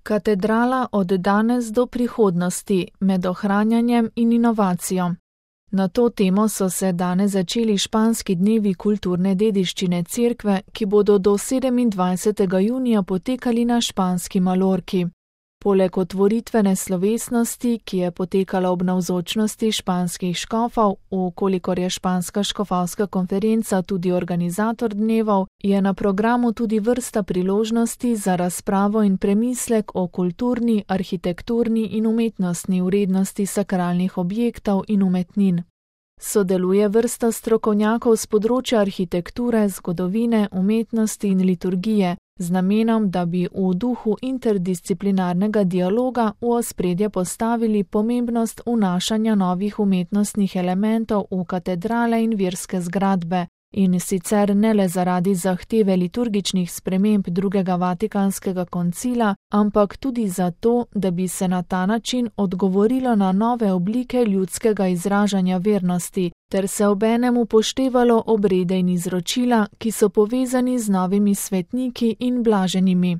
Katedrala od danes do prihodnosti med ohranjanjem in inovacijo. Na to temo so se danes začeli španski dnevi kulturne dediščine cerkve, ki bodo do 27. junija potekali na španski Malorki. Poleg otvoritvene slovesnosti, ki je potekala ob navzočnosti španskih škofov, vkolikor je španska škofovska konferenca tudi organizator dnevov, je na programu tudi vrsta priložnosti za razpravo in premislek o kulturni, arhitekturni in umetnostni vrednosti sakralnih objektov in umetnin. Sodeluje vrsta strokovnjakov z področja arhitekture, zgodovine, umetnosti in liturgije, z namenom, da bi v duhu interdisciplinarnega dialoga v ospredje postavili pomembnost vnašanja novih umetnostnih elementov v katedrale in verske zgradbe, in sicer ne le zaradi zahteve liturgičnih sprememb drugega Vatikanskega koncila, ampak tudi zato, da bi se na ta način odgovorilo na nove oblike ljudskega izražanja vernosti, ter se obenem upoštevalo obrede in izročila, ki so povezani z novimi svetniki in blaženimi.